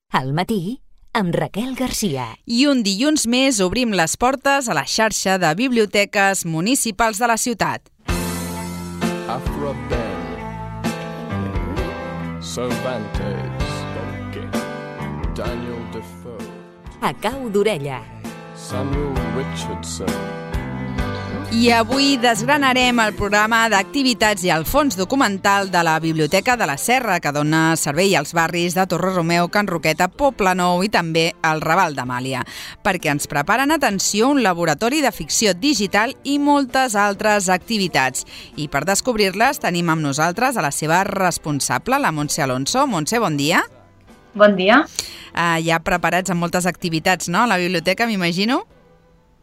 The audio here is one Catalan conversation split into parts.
Al matí, amb Raquel Garcia. I un dilluns més obrim les portes a la xarxa de biblioteques municipals de la ciutat. Afro Bell, Cervantes, Daniel Defoe, A cau d'orella. Samuel Richardson. I avui desgranarem el programa d'activitats i el fons documental de la Biblioteca de la Serra, que dona servei als barris de Torre-Romeu, Can Roqueta, Poblenou i també al Raval d'Amàlia, perquè ens preparen, atenció, un laboratori de ficció digital i moltes altres activitats. I per descobrir-les tenim amb nosaltres a la seva responsable, la Montse Alonso. Montse, bon dia. Bon dia. Ja preparats amb moltes activitats, no?, a la biblioteca, m'imagino?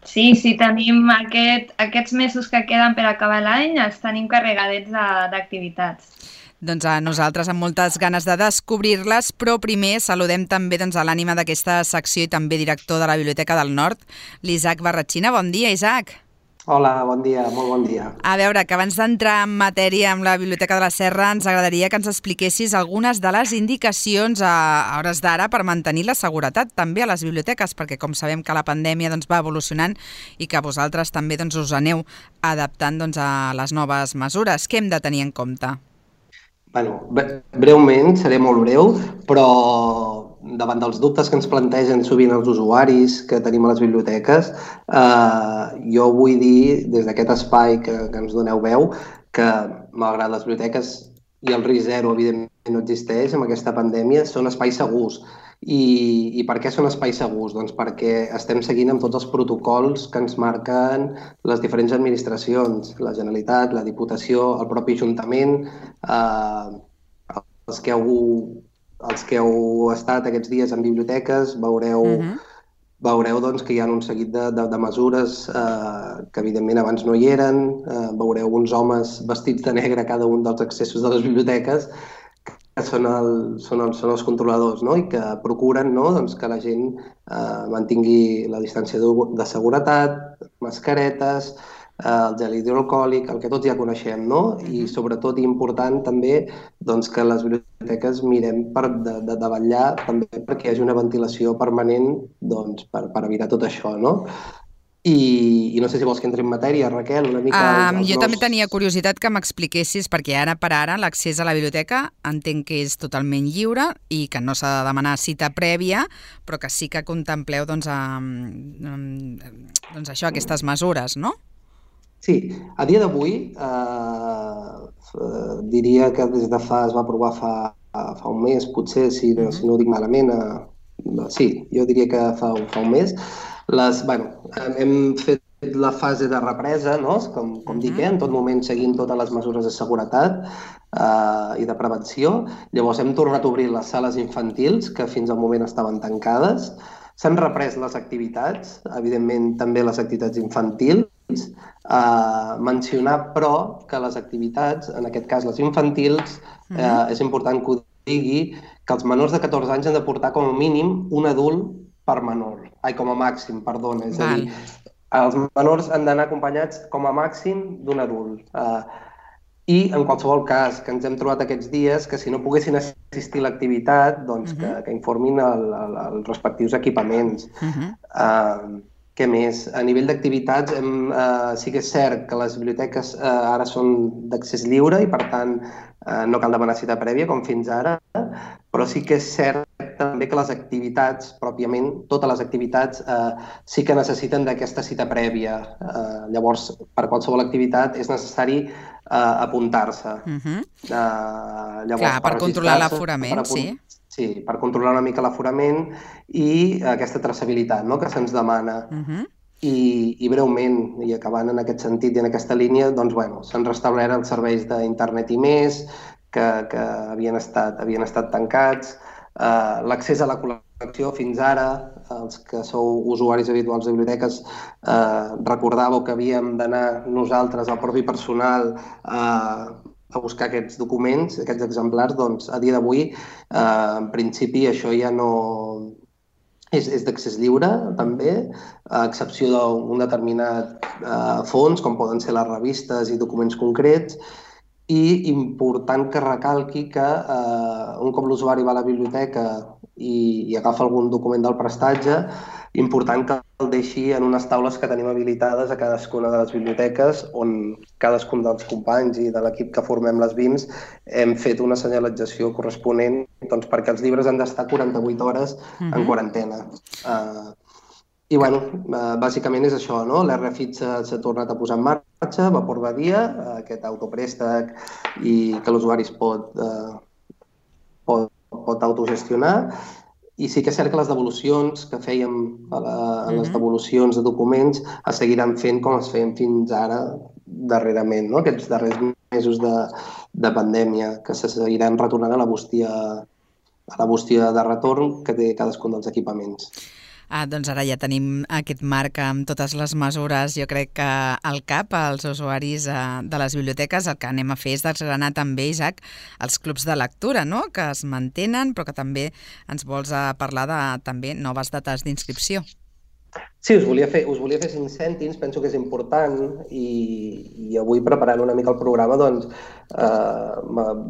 Sí, tenim aquests mesos que queden per acabar l'any, els tenim carregadets d'activitats. Doncs a nosaltres amb moltes ganes de descobrir-les, però primer saludem també a l'ànima d'aquesta secció i també director de la Biblioteca del Nord, l'Isaac Barratxina. Bon dia, Isaac. Hola, bon dia, molt bon dia. A veure, que abans d'entrar en matèria amb la Biblioteca de la Serra ens agradaria que ens expliquessis algunes de les indicacions a hores d'ara per mantenir la seguretat també a les biblioteques, perquè com sabem que la pandèmia va evolucionant i que vosaltres també us aneu adaptant a les noves mesures. Què hem de tenir en compte? Bueno, breument, seré molt breu, però davant dels dubtes que ens plantegen sovint els usuaris que tenim a les biblioteques, jo vull dir, des d'aquest espai que ens doneu veu, que malgrat les biblioteques i el risc zero, evidentment, no existeix amb aquesta pandèmia, són espais segurs. I per què són espais segurs? Doncs perquè estem seguint amb tots els protocols que ens marquen les diferents administracions, la Generalitat, la Diputació, el propi Ajuntament, els que heu estat aquests dies en biblioteques veureu doncs, que hi ha un seguit de mesures que evidentment abans no hi eren. Veureu uns homes vestits de negre a cada un dels accessos de les biblioteques que són els controladors, no? I que procuren, no? Doncs que la gent mantingui la distància de seguretat, mascaretes, el gel hidroalcohòlic, el que tots ja coneixem, no? I sobretot i important també doncs, que les biblioteques mirem de vetllar també perquè hi hagi una ventilació permanent doncs, per evitar tot això, no? I no sé si vols que entri en matèria, Raquel, una mica... Jo també tenia curiositat que m'expliquessis, perquè ara per ara l'accés a la biblioteca entenc que és totalment lliure i que no s'ha de demanar cita prèvia, però que sí que contempleu això, aquestes mesures, no? Sí, a dia d'avui diria que es va aprovar fa un mes, potser, si no ho dic malament. Sí, jo diria que fa un mes. Hem fet la fase de represa, no? Com dic, en tot moment seguint totes les mesures de seguretat i de prevenció. Llavors hem tornat a obrir les sales infantils, que fins al moment estaven tancades. S'han reprès les activitats, evidentment també les activitats infantils. Mencionar, però, que les activitats, en aquest cas les infantils, és important que ho digui, que els menors de 14 anys han de portar com a mínim un adult per menor. Com a màxim, perdona. És a dir, els menors han d'anar acompanyats com a màxim d'un adult. I, en qualsevol cas, que ens hem trobat aquests dies, que si no poguessin assistir a l'activitat, doncs que informin els respectius equipaments. Què més? A nivell d'activitats, sí que és cert que les biblioteques ara són d'accés lliure i, per tant, no cal demanar cita prèvia, com fins ara, però sí que és cert també que les activitats, pròpiament, totes les activitats, sí que necessiten d'aquesta cita prèvia. Llavors, per qualsevol activitat és necessari apuntar-se. Clar, per controlar l'aforament, sí. Sí, per controlar una mica l'aforament i aquesta traçabilitat, no?, que se'ns demana. I breument, i acabant en aquest sentit i en aquesta línia, doncs, s'han restablert els serveis d'internet i més, que havien estat tancats. L'accés a la col·lecció fins ara, els que sou usuaris habituals de biblioteques, recordàveu que havíem d'anar nosaltres, el propi personal, a buscar aquests documents, aquests exemplars. Doncs a dia d'avui, en principi, això ja no... És d'accés lliure, també, a excepció d'un determinat fons, com poden ser les revistes i documents concrets, i important que recalqui que un cop l'usuari va a la biblioteca i agafa algun document del prestatge, important que el deixi en unes taules que tenim habilitades a cadascuna de les biblioteques, on cadascun dels companys i de l'equip que formem les BIMs hem fet una senyalització corresponent, doncs, perquè els llibres han d'estar 48 hores en quarantena. I, bueno, bàsicament és això, no? L'RFID s'ha tornat a posar en marxa, Vapor Badia, aquest autopréstec i que l'usuari es pot autogestionar. I sí que és cert que les devolucions que fèiem a les devolucions de documents es seguiran fent com es feien fins ara darrerament, no? Aquests darrers mesos de pandèmia, que se seguiran retornant a la bústia de retorn que té cadascun dels equipaments. Doncs ara ja tenim aquest marc amb totes les mesures, jo crec que al cap, als usuaris de les biblioteques, el que anem a fer és desgranar també, Isaac, els clubs de lectura, no?, que es mantenen, però que també ens vols parlar de també noves dates d'inscripció. Sí, us volia fer 5 cèntims, penso que és important, i avui preparant una mica el programa doncs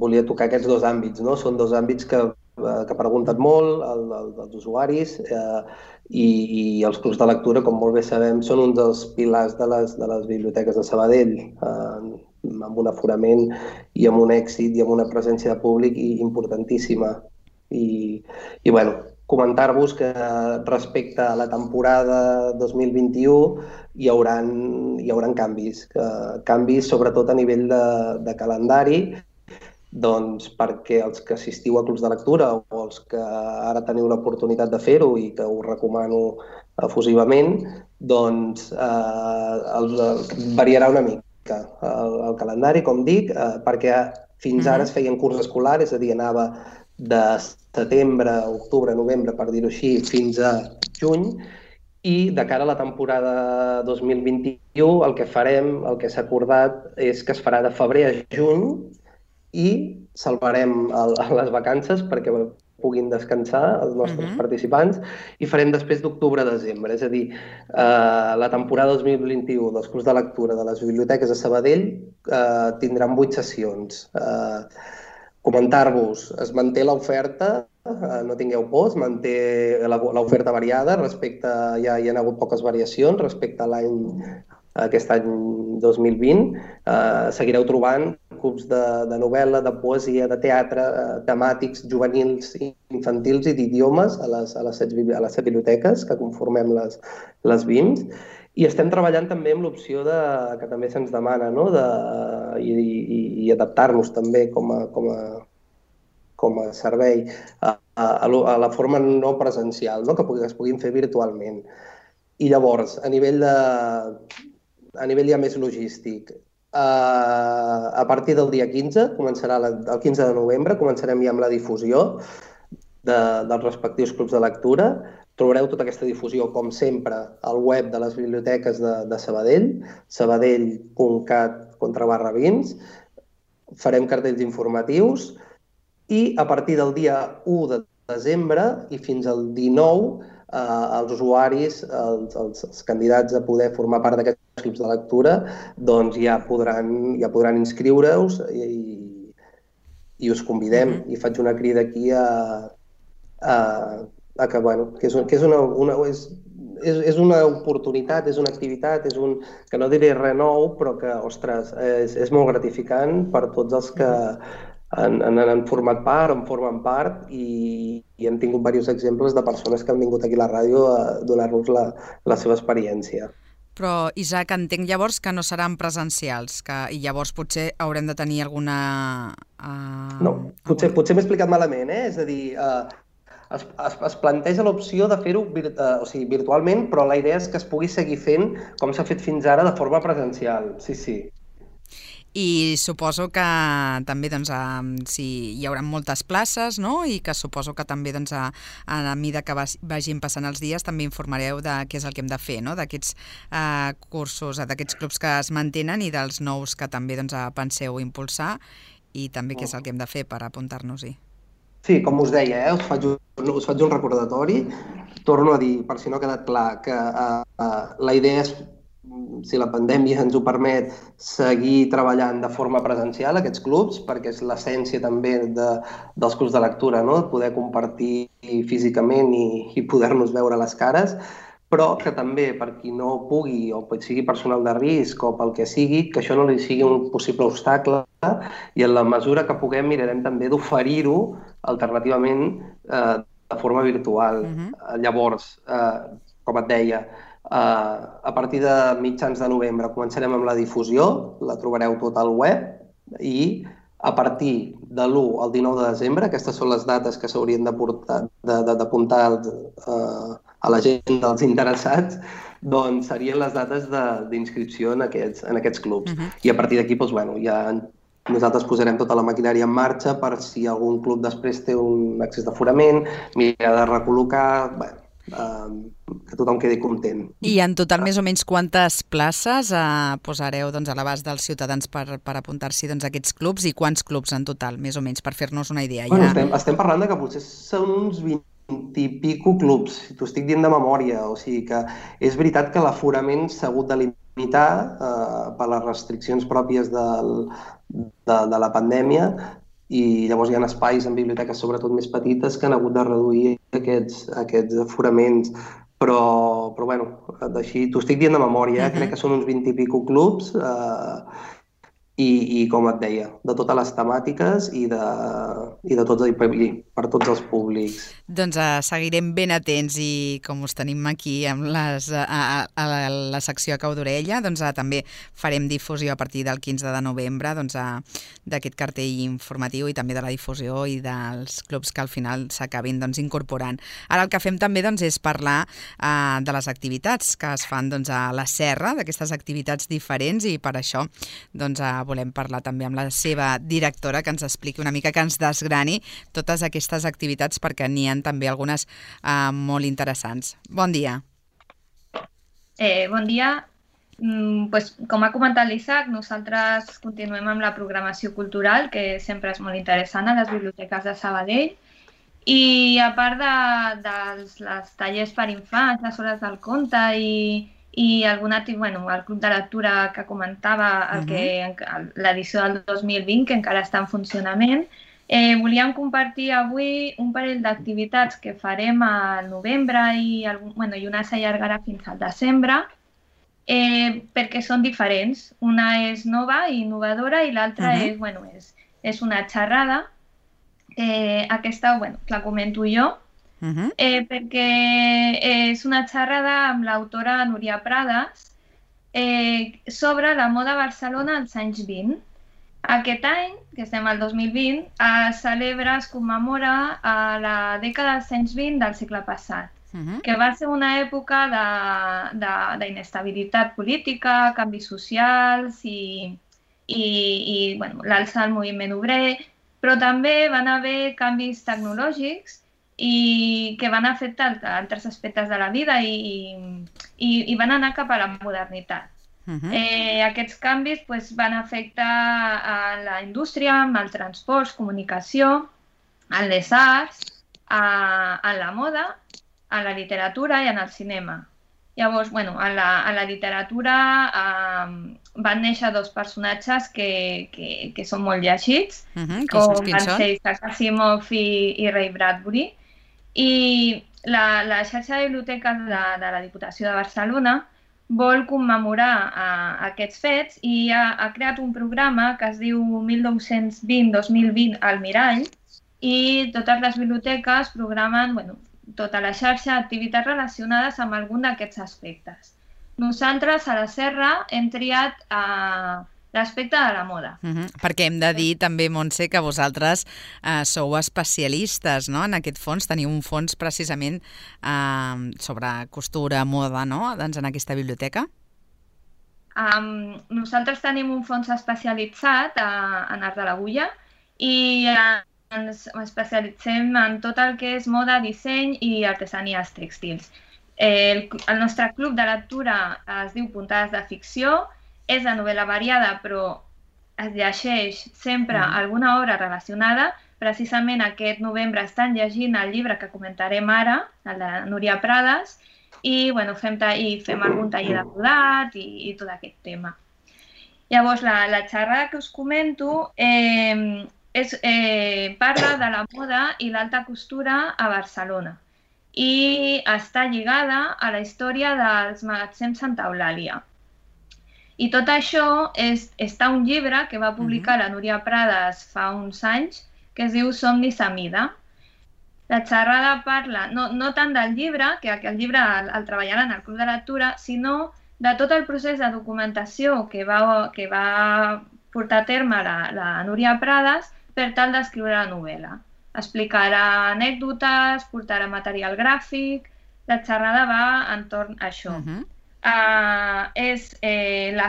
volia tocar aquests dos àmbits, no? Són dos àmbits que ha preguntat molt, el dels usuaris, i els clubs de lectura, com molt bé sabem, són un dels pilars de les biblioteques de Sabadell, amb un aforament i amb un èxit i amb una presència de públic importantíssima. I bueno, comentar-vos que respecte a la temporada 2021 hi hauran canvis sobretot a nivell de calendari, doncs perquè els que assistiu a clubs de lectura o els que ara teniu l'oportunitat de fer-ho i que us recomano efusivament, doncs variarà una mica el calendari, com dic, perquè fins ara es feien curs escolar, és a dir, anava de setembre, octubre, novembre, per dir-ho així, fins a juny, i de cara a la temporada 2021 el que farem, el que s'ha acordat, és que es farà de febrer a juny i salvarem les vacances perquè puguin descansar els nostres participants i farem després d'octubre a desembre. És a dir, la temporada 2021 dels clubs de lectura de les biblioteques de Sabadell tindran 8 sessions. Comentar-vos, es manté l'oferta, no tingueu por, es manté l'oferta variada, ja hi ha hagut poques variacions respecte a aquest any 2020. Seguireu trobant clubs de novel·la, de poesia, de teatre, temàtics, juvenils, infantils i d'idiomes a les 7 biblioteques que conformem les BIMs. I estem treballant també amb l'opció que també se'ns demana, no?, i adaptar-nos també com a servei a la forma no presencial, no?, que es puguin fer virtualment. I llavors, a nivell ja més logístic, a partir del dia 15, el 15 de novembre, començarem ja amb la difusió dels respectius clubs de lectura. Trobareu tota aquesta difusió, com sempre, al web de les biblioteques de Sabadell, sabadell.cat/BIMs. Farem cartells informatius i a partir del dia 1 de desembre i fins al 19, els usuaris, els candidats a poder formar part d'aquests clubs de lectura, doncs ja podran inscriure-us i us convidem. I faig una crida aquí que és una oportunitat, és una activitat, que no diré res nou, però que, ostres, és molt gratificant per tots els que han format part, en formen part, i hem tingut diversos exemples de persones que han vingut aquí a la ràdio a donar-nos la seva experiència. Però, Isaac, entenc llavors que no seran presencials, i llavors potser haurem de tenir alguna... No, potser m'he explicat malament, és a dir, es planteja l'opció de fer-ho virtualment, però la idea és que es pugui seguir fent com s'ha fet fins ara de forma presencial, sí. I suposo que també hi haurà moltes places, no?, i que suposo que també a mesura que vagin passant els dies també informareu de què és el que hem de fer, no?, d'aquests cursos, d'aquests clubs que es mantenen i dels nous que també penseu impulsar, i també què és el que hem de fer per apuntar-nos-hi. Sí, com us deia, us faig un recordatori. Torno a dir, per si no ha quedat clar, que la idea és si la pandèmia ens ho permet, seguir treballant de forma presencial aquests clubs, perquè és l'essència també dels clubs de lectura, no? Poder compartir físicament i poder-nos veure les cares, però que també per qui no pugui o sigui personal de risc o pel que sigui, que això no li sigui un possible obstacle i en la mesura que puguem mirarem també d'oferir-ho alternativament de forma virtual. Llavors, com et deia, a partir de mitjans de novembre començarem amb la difusió, la trobareu tot al web i a partir de l'1 al 19 de desembre, aquestes són les dates que s'haurien d'apuntar a l'agenda dels interessats, doncs serien les dates d'inscripció en aquests clubs. I a partir d'aquí, doncs, bueno, ja nosaltres posarem tota la maquinària en marxa per si algun club després té un excés d'aforament, mirar de recol·locar, que tothom quedi content. I en total, més o menys, quantes places posareu a l'abast dels ciutadans per apuntar-s'hi a aquests clubs i quants clubs en total, més o menys, per fer-nos una idea? Bueno, estem parlant de que potser són uns 20 i pico clubs, si t'ho estic dient de memòria, o sigui que és veritat que l'aforament s'ha hagut de limitar per les restriccions pròpies de la pandèmia, i llavors hi ha espais en biblioteques sobretot més petites que han hagut de reduir aquests aforaments, però bueno, així t'ho estic dient de memòria, crec que són uns 20 i pico clubs i com et deia, de totes les temàtiques i per tots els públics. Doncs seguirem ben atents i com us tenim aquí amb a la secció a cau d'orella, doncs també farem difusió a partir del 15 de novembre d'aquest cartell informatiu i també de la difusió i dels clubs que al final s'acabin incorporant. Ara el que fem també és parlar de les activitats que es fan a la Serra, d'aquestes activitats diferents, i per això volem parlar també amb la seva directora, que ens expliqui una mica, que ens desgrani totes aquestes activitats, perquè n'hi ha també algunes molt interessants. Bon dia. Bon dia. Com ha comentat l'Isaac, nosaltres continuem amb la programació cultural, que sempre és molt interessant a les biblioteques de Sabadell. I a part dels tallers per infants, les hores del conte i el club de lectura que comentava, l'edició del 2020, que encara està en funcionament, volíem compartir avui un parell d'activitats que farem al novembre i una s'allargarà fins al desembre, perquè són diferents. Una és nova i innovadora i l'altra és una xerrada. Aquesta la comento jo, perquè és una xerrada amb l'autora Núria Prades sobre la moda a Barcelona als anys 20. Aquest any, que estem al 2020, es commemora la dècada dels anys 20 del segle passat, que va ser una època d'inestabilitat política, canvis socials i l'alça del moviment obrer, però també van haver canvis tecnològics i que van afectar altres aspectes de la vida i van anar cap a la modernitat. Aquests canvis van afectar a la indústria, amb el transport, comunicació, en les arts, en la moda, en la literatura i en el cinema. Llavors, a la literatura van néixer dos personatges que són molt llegits, com van ser Isaac Asimov i Ray Bradbury. I la xarxa de biblioteques de la Diputació de Barcelona vol commemorar aquests fets i ha creat un programa que es diu 1920-2020 al Mirall, i totes les biblioteques programen tota la xarxa d'activitats relacionades amb algun d'aquests aspectes. Nosaltres a la Serra hem triat l'aspecte de la moda. Perquè hem de dir també, Montse, que vosaltres sou especialistes en aquest fons, teniu un fons precisament sobre costura, moda, en aquesta biblioteca? Nosaltres tenim un fons especialitzat en art de l'agulla i ens especialitzem en tot el que és moda, disseny i artesanies tèxtils. El nostre club de lectura es diu Puntades de Ficció, és de novel·la variada, però es llegeix sempre alguna obra relacionada. Precisament aquest novembre estan llegint el llibre que comentarem ara, el de Núria Prades, i fem algun taller de brodat i tot aquest tema. Llavors, la xerrada que us comento parla de la moda i l'alta costura a Barcelona i està lligada a la història dels magatzems Santa Eulàlia. I tot això està un llibre que va publicar la Núria Prades fa uns anys que es diu Somnis a mida. La xerrada parla no tant del llibre, que el llibre el treballaran al Club de Lectura, sinó de tot el procés de documentació que va portar a terme la Núria Prades per tal d'escriure la novel·la. Explicarà anècdotes, portarà material gràfic, la xerrada va entorn a això. La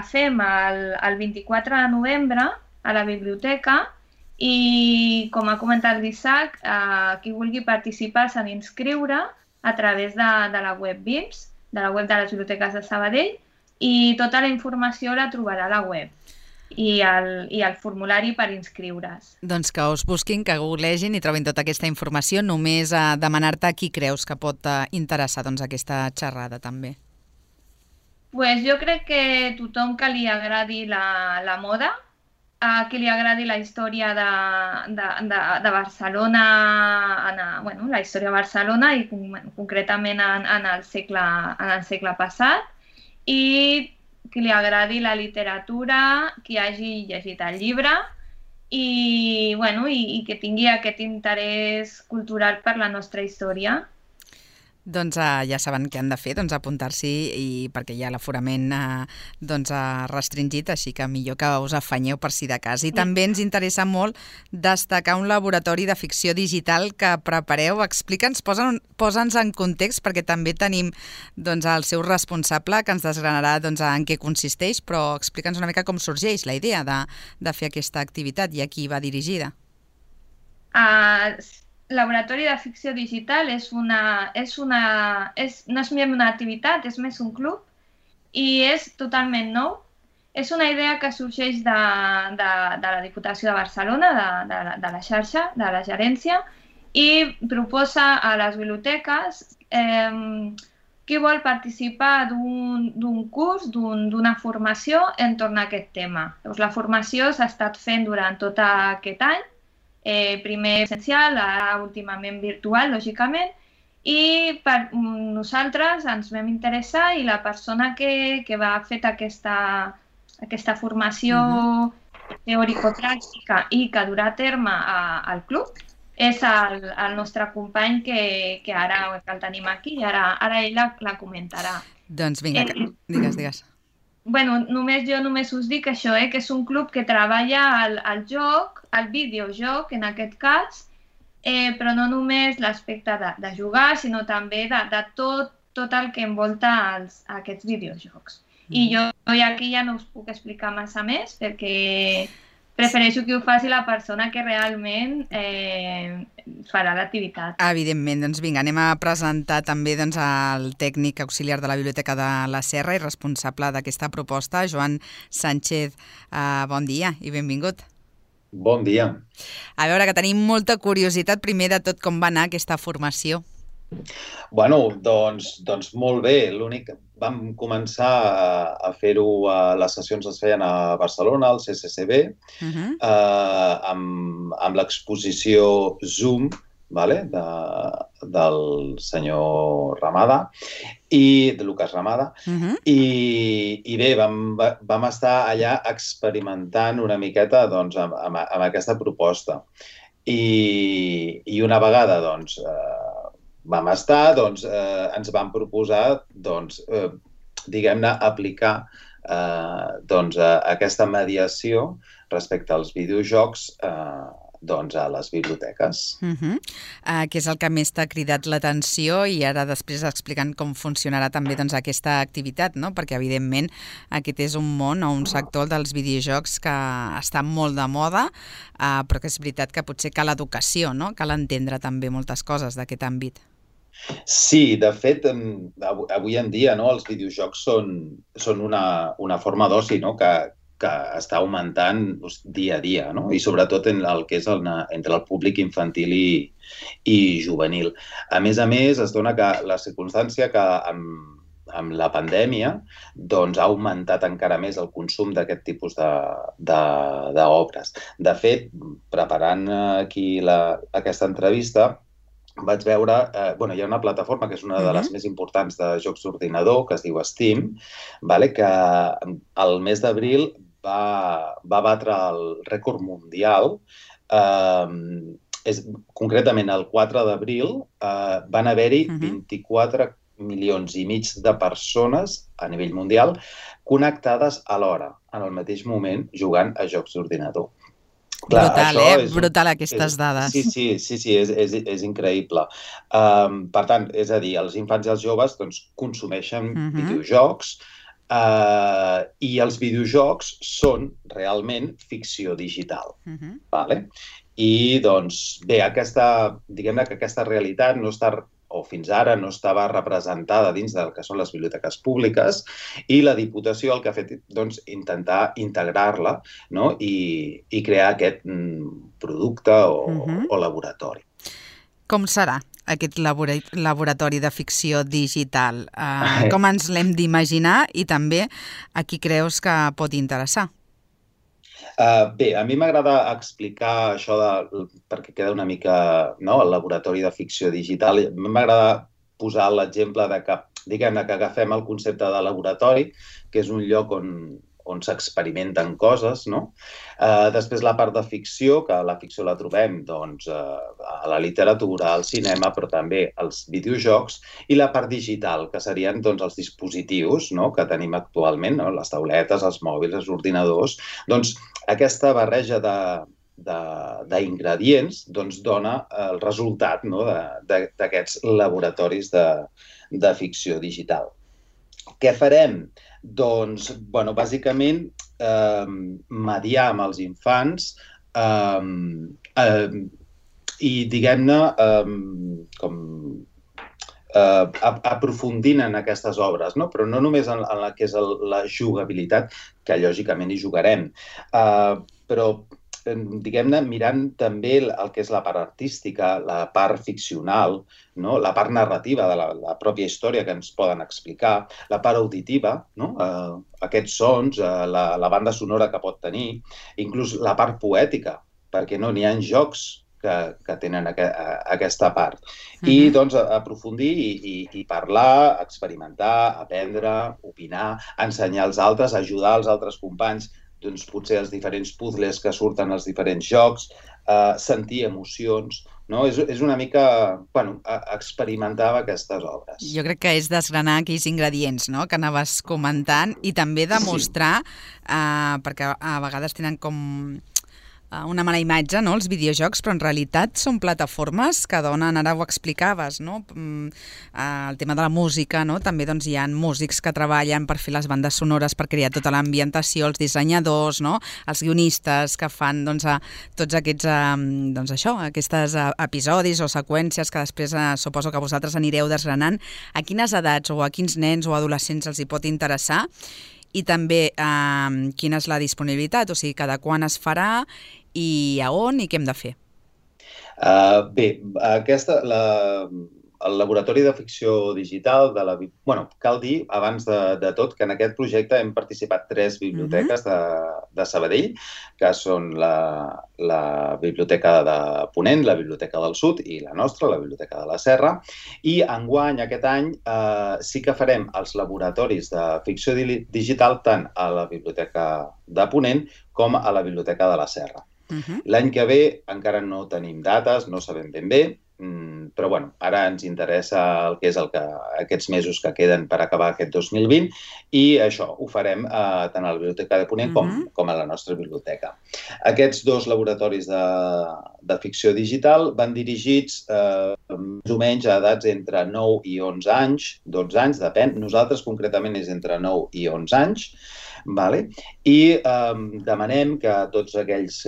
fem el 24 de novembre a la biblioteca i, com ha comentat l'Isaac, qui vulgui participar s'ha d'inscriure a través de la web BIMS, de la web de les biblioteques de Sabadell, i tota la informació la trobarà a la web i el formulari per inscriure's. Doncs que us busquin, que googlegin i trobin tota aquesta informació. Només a demanar-te a qui creus que pot interessar aquesta xerrada també. Jo crec que tothom que li agradi la moda, a qui li agradi la història de Barcelona, la història de Barcelona i concretament en el segle passat, i qui li agradi la literatura, qui hagi llegit el llibre i que tingui aquest interès cultural per la nostra història. Doncs ja saben què han de fer, apuntar-s'hi, perquè ja l'aforament restringit, així que millor que us afanyeu per si de cas. I també ens interessa molt destacar un laboratori de ficció digital que prepareu. Explica'ns, posa'ns en context, perquè també tenim el seu responsable que ens desgranarà en què consisteix, però explica'ns una mica com sorgeix la idea de fer aquesta activitat i a qui va dirigida. Laboratori de ficció digital no és una activitat, és més un club i és totalment nou. És una idea que sorgeix de la Diputació de Barcelona, de la xarxa, de la gerència, i proposa a les biblioteques qui vol participar d'un curs, d'una formació entorn a aquest tema. La formació s'ha estat fent durant tot aquest any, primer essencial, ara últimament virtual, lògicament, i per nosaltres ens vam interessar i la persona que va fer aquesta formació teòrico-pràctica i que durà a terme al club és el nostre company que ara el tenim aquí i ara ell la comentarà. Doncs vinga, digues. Només us dic això, que és un club que treballa el joc, el videojoc en aquest cas, però no només l'aspecte de jugar, sinó també de tot el que envolta aquests videojocs. I jo aquí ja no us puc explicar massa més perquè prefereixo que ho faci la persona que realment farà l'activitat. Evidentment, doncs vinga, anem a presentar també el tècnic auxiliar de la Biblioteca de la Serra i responsable d'aquesta proposta, Joan Sánchez. Bon dia i benvingut. Bon dia. A veure, que tenim molta curiositat primer de tot com va anar aquesta formació. Doncs molt bé. L'únic vam començar a fer-ho, les sessions es feien a Barcelona, al CCCB, amb l'exposició Zoom del senyor Ramada, de Lucas Ramada, i bé, vam estar allà experimentant una miqueta amb aquesta proposta. I una vegada vam estar, ens van proposar, diguem-ne, aplicar aquesta mediació respecte als videojocs a les biblioteques. Què és el que més t'ha cridat l'atenció i ara després explicant com funcionarà també aquesta activitat, no? Perquè evidentment aquest és un món o un sector dels videojocs que està molt de moda, però que és veritat que potser cal educació, no? Cal entendre també moltes coses d'aquest àmbit. Sí, de fet, avui en dia els videojocs són una forma d'oci, que que està augmentant dia a dia, no? I sobretot en el que és entre el públic infantil i juvenil. A més, es dona que la circumstància que amb la pandèmia doncs, ha augmentat encara més el consum d'aquest tipus d'obres. De fet, preparant aquí aquesta entrevista, vaig veure... hi ha una plataforma que és una de les més importants de jocs d'ordinador, que es diu Steam, que el mes d'abril va batre el rècord mundial. Concretament, el 4 d'abril van haver-hi 24 milions i mig de persones a nivell mundial connectades alhora, en el mateix moment, jugant a jocs d'ordinador. Brutal, brutal aquestes dades. Sí, és increïble. Per tant, és a dir, els infants i els joves consumeixen videojocs i els videojocs són realment ficció digital. I, doncs, bé, diguem-ne que aquesta realitat no està o fins ara no estava representada dins del que són les biblioteques públiques i la Diputació el que ha fet és intentar integrar-la i crear aquest producte o laboratori. Com serà aquest laboratori de ficció digital? Com ens l'hem d'imaginar i també a qui creus que pot interessar? Bé, a mi m'agrada explicar això perquè queda una mica el laboratori de ficció digital. A mi m'agrada posar l'exemple que agafem el concepte de laboratori, que és un lloc on s'experimenten coses. Després la part de ficció, que la ficció la trobem a la literatura, al cinema, però també als videojocs, i la part digital, que serien els dispositius que tenim actualment, les tauletes, els mòbils, els ordinadors. Doncs aquesta barreja d'ingredients dona el resultat d'aquests laboratoris de ficció digital. Què farem? Doncs, bàsicament, mediar amb els infants i, diguem-ne, aprofundint en aquestes obres, però no només en la que és la jugabilitat, que lògicament hi jugarem, però diguem-ne, mirant també el que és la part artística, la part ficcional, la part narrativa de la pròpia història que ens poden explicar, la part auditiva, aquests sons, la banda sonora que pot tenir, inclús la part poètica, perquè n'hi ha jocs que tenen aquesta part. I, doncs, aprofundir i parlar, experimentar, aprendre, opinar, ensenyar als altres, ajudar els altres companys, doncs potser els diferents puzzles que surten als diferents jocs, sentir emocions, és una mica experimentar amb aquestes obres. Jo crec que és desgranar aquells ingredients que anaves comentant i també demostrar, perquè a vegades tenen com una mala imatge, els videojocs, però en realitat són plataformes que donen, ara ho explicaves, el tema de la música, també hi ha músics que treballen per fer les bandes sonores, per crear tota l'ambientació, els dissenyadors, els guionistes que fan tots aquests episodis o seqüències que després suposo que vosaltres anireu desgranant. A quines edats o a quins nens o adolescents els hi pot interessar? I també quina és la disponibilitat, o sigui, cada quan es farà i a on i què hem de fer? Bé, el laboratori de ficció digital, cal dir, abans de tot, que en aquest projecte hem participat 3 biblioteques de Sabadell, que són la Biblioteca de Ponent, la Biblioteca del Sud i la nostra, la Biblioteca de la Serra. I enguany, aquest any, sí que farem els laboratoris de ficció digital tant a la Biblioteca de Ponent com a la Biblioteca de la Serra. L'any que ve encara no tenim dates, no sabem ben bé, però ara ens interessa el que és aquests mesos que queden per acabar aquest 2020 i això ho farem tant a la Biblioteca de Ponent com a la nostra biblioteca. Aquests 2 laboratoris de ficció digital van dirigits més o menys a edats entre 9 i 11 anys, 12 anys, depèn. Nosaltres concretament és entre 9 i 11 anys. I demanem que tots aquells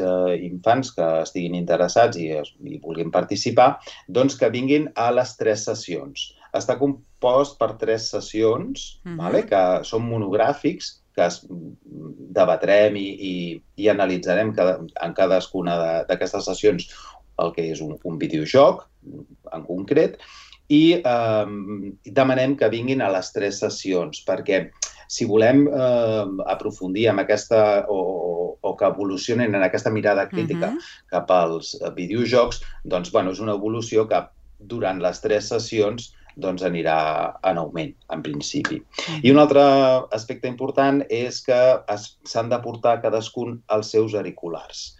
infants que estiguin interessats i vulguin participar, doncs que vinguin a les 3 sessions. Està compost per 3 sessions, que són monogràfics, que debatrem i analitzarem en cadascuna d'aquestes sessions el que és un videojoc en concret, i demanem que vinguin a les 3 sessions, perquè si volem aprofundir en aquesta, o que evolucionin en aquesta mirada crítica cap als videojocs, doncs, és una evolució que durant les 3 sessions anirà en augment, en principi. I un altre aspecte important és que s'han de portar cadascun els seus auriculars,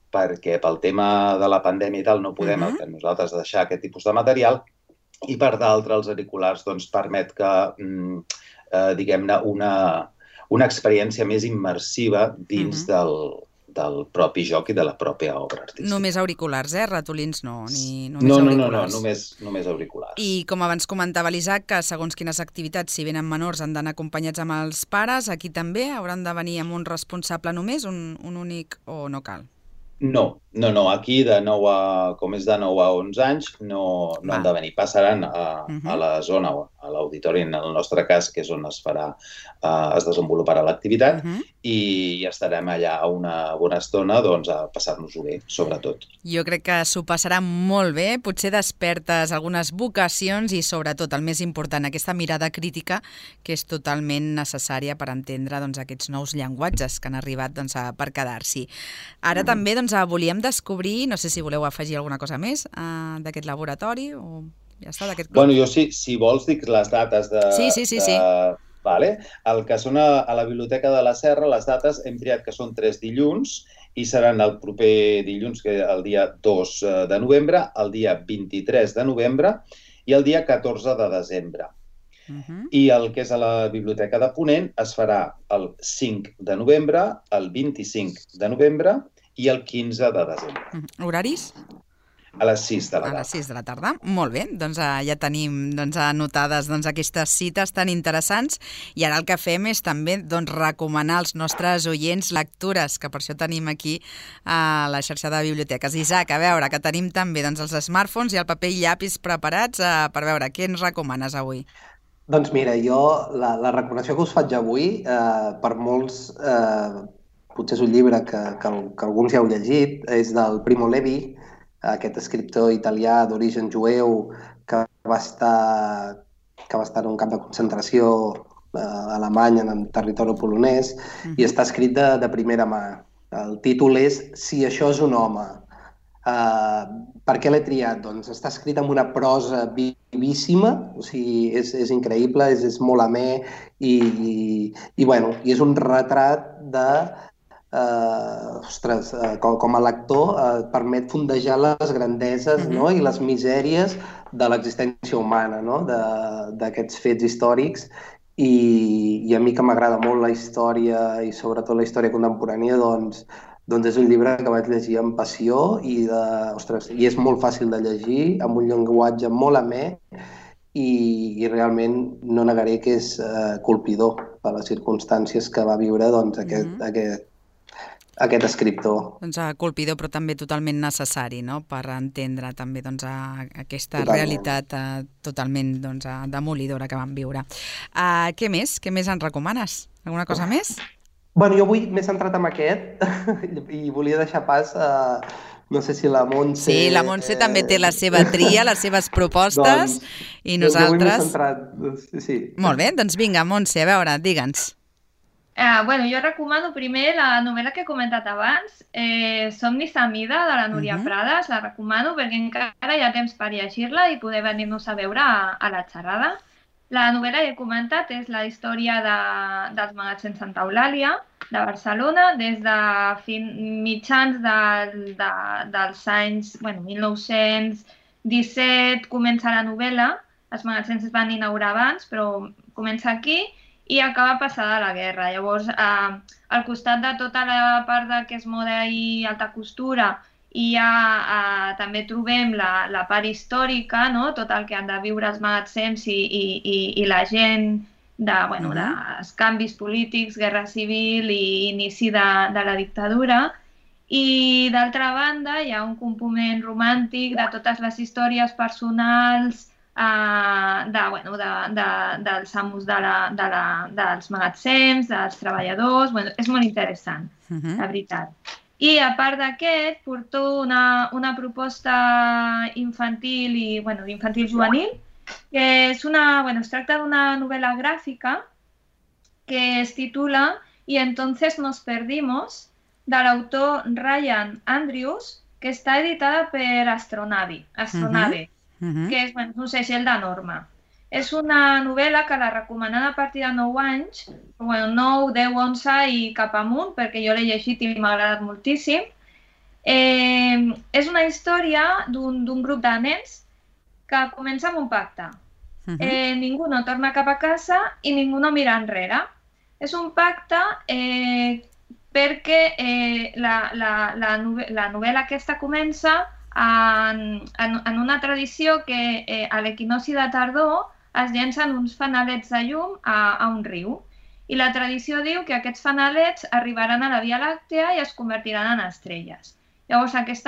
perquè pel tema de la pandèmia i tal no podem nosaltres deixar aquest tipus de material, i per d'altre els auriculars permet que, diguem-ne, una experiència més immersiva dins del propi joc i de la pròpia obra artística. Només auriculars, ratolins no? No, només auriculars. I com abans comentava l'Isaac, que segons quines activitats, si venen menors, han d'anar acompanyats amb els pares, aquí també hauran de venir amb un responsable només, un únic, o no cal? No, aquí com és de 9 a 11 anys no han de venir. Passaran a la zona, a l'auditori, en el nostre cas, que és on es desenvoluparà l'activitat, i estarem allà una bona estona a passar-nos-ho bé, sobretot. Jo crec que s'ho passaran molt bé, potser despertes algunes vocacions i, sobretot, el més important, aquesta mirada crítica que és totalment necessària per entendre aquests nous llenguatges que han arribat per quedar-s'hi. Ara també volíem descobrir, no sé si voleu afegir alguna cosa més d'aquest laboratori o ja està, d'aquest club. Jo, si vols, dic les dates de... Sí. Vale. El que són a la Biblioteca de la Serra, les dates hem triat que són 3 dilluns i seran el proper dilluns, que el dia 2 de novembre, el dia 23 de novembre i el dia 14 de desembre. I el que és a la Biblioteca de Ponent es farà el 5 de novembre, el 25 de novembre i el 15 de desembre. Horaris? A les 6 de la tarda. A les 6 de la tarda. Molt bé, ja tenim anotades aquestes cites tan interessants i ara el que fem és també recomanar als nostres oients lectures, que per això tenim aquí a la xarxa de biblioteques. Isaac, a veure, que tenim també els smartphones i el paper i llapis preparats per veure què ens recomanes avui. Doncs mira, jo la recomanació que us faig avui, per molts, potser és un llibre que alguns ja heu llegit, és del Primo Levi, aquest escriptor italià d'origen jueu que va estar en un camp de concentració alemany en el territori polonès i està escrit de primera mà. El títol és Si això és un home. Per què l'he triat? Doncs està escrit amb una prosa vivíssima, o sigui, és increïble, és molt amè i és un retrat de... com a lector permet fondejar les grandeses i les misèries de l'existència humana, d'aquests fets històrics, i a mi que m'agrada molt la història i sobretot la història contemporània, doncs és un llibre que vaig llegir amb passió i és molt fàcil de llegir, amb un llenguatge molt amè i realment no negaré que és colpidor per les circumstàncies que va viure aquest escriptor. Colpidor, però també totalment necessari, per entendre també aquesta realitat totalment demolidora que vam viure. Què més? Què més ens recomanes? Alguna cosa més? Jo avui m'he centrat en aquest i volia deixar pas a... No sé si la Montse... Sí, la Montse també té la seva tria, les seves propostes, i nosaltres... Jo m'he centrat, sí. Molt bé, doncs vinga, Montse, a veure, digue'ns. Jo recomano primer la novel·la que he comentat abans, Somnis a mida, de la Núria Prades. La recomano perquè encara hi ha temps per llegir-la i poder venir-nos a veure a la xerrada. La novel·la que he comentat és la història dels magatzems Santa Eulàlia de Barcelona. Des de mitjans dels anys 1917 comença la novel·la. Els magatzems es van inaugurar abans, però comença aquí i acaba passada la guerra. Llavors, al costat de tota la part que és moda i alta costura, i també trobem la part històrica, tot el que han de viure els magatzems i la gent, dels canvis polítics, guerra civil i inici de la dictadura. I d'altra banda hi ha un component romàntic de totes les històries personals dels amos dels magatzems, dels treballadors. Bueno, és molt interessant, la veritat. I a part d'aquest, porto una proposta infantil i infantil juvenil, que es tracta d'una novel·la gràfica que es titula Y entonces nos perdimos, de l'autor Ryan Andrews, que està editada per Astronave, que és un segell de Norma. És una novel·la que la recomanen a partir de 9 anys, 9, 10, 11 i cap amunt, perquè jo l'he llegit i m'ha agradat moltíssim. És una història d'un grup de nens que comença amb un pacte. Ningú no torna cap a casa i ningú no mira enrere. És un pacte perquè la novel·la aquesta comença en una tradició que a l'equinocci de tardor es llencen uns fanalets de llum a un riu. I la tradició diu que aquests fanalets arribaran a la Via Làctea i es convertiran en estrelles. Llavors aquest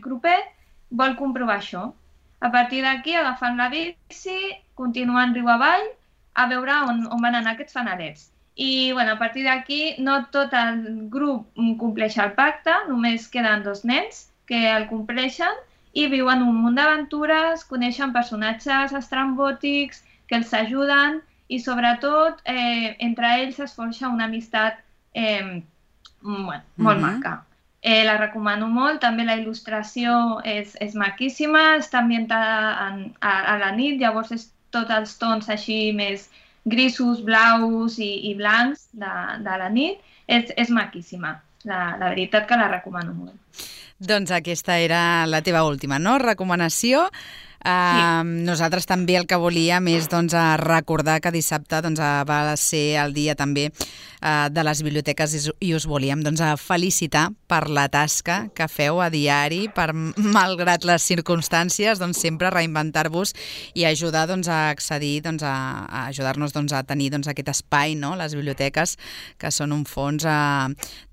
grupet vol comprovar això. A partir d'aquí, agafant la bici, continuen riu avall a veure on van anar aquests fanalets. I a partir d'aquí no tot el grup compleix el pacte, només queden 2 nens que el compleixen i viuen un munt d'aventures, coneixen personatges estrambòtics que els ajuden i sobretot entre ells es forja una amistat molt maca. La recomano molt, també la il·lustració és maquíssima, està ambientada a la nit, llavors és tots els tons així més grisos, blaus i blancs de la nit. És maquíssima, la veritat que la recomano molt. Doncs aquesta era la teva última, no? Recomanació. Nosaltres també el que volíem és recordar que dissabte va ser el dia també de les biblioteques i us volíem felicitar per la tasca que feu a diari, per malgrat les circumstàncies, sempre reinventar-vos i ajudar a accedir, a ajudar-nos a tenir aquest espai, les biblioteques, que són un fons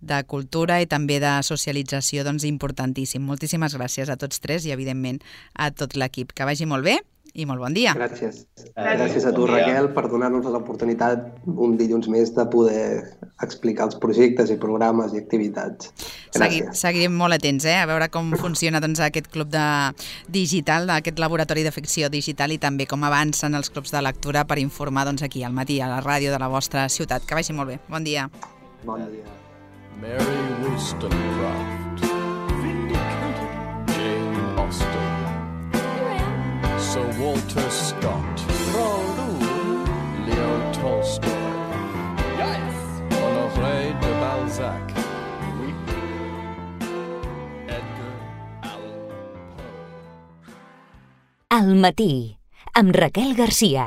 de cultura i també de socialització importantíssim. Moltíssimes gràcies a tots tres i, evidentment, a tot l'equip. Que vagi molt bé i molt bon dia. Gràcies. Gràcies a tu, Raquel, per donar-nos l'oportunitat un dilluns més de poder explicar els projectes i programes i activitats. Gràcies. Seguirem molt atents a veure com funciona aquest club digital, aquest laboratori de ficció digital i també com avancen els clubs de lectura per informar aquí al matí a la ràdio de la vostra ciutat. Que vagi molt bé. Bon dia. Bon dia. Mary Wollstonecraft, Jane Austen, Sir Walter Scott, Leo Tolstoy, Honoré de Balzac, Edgar Allan Poe. Al matí, amb Raquel Garcia.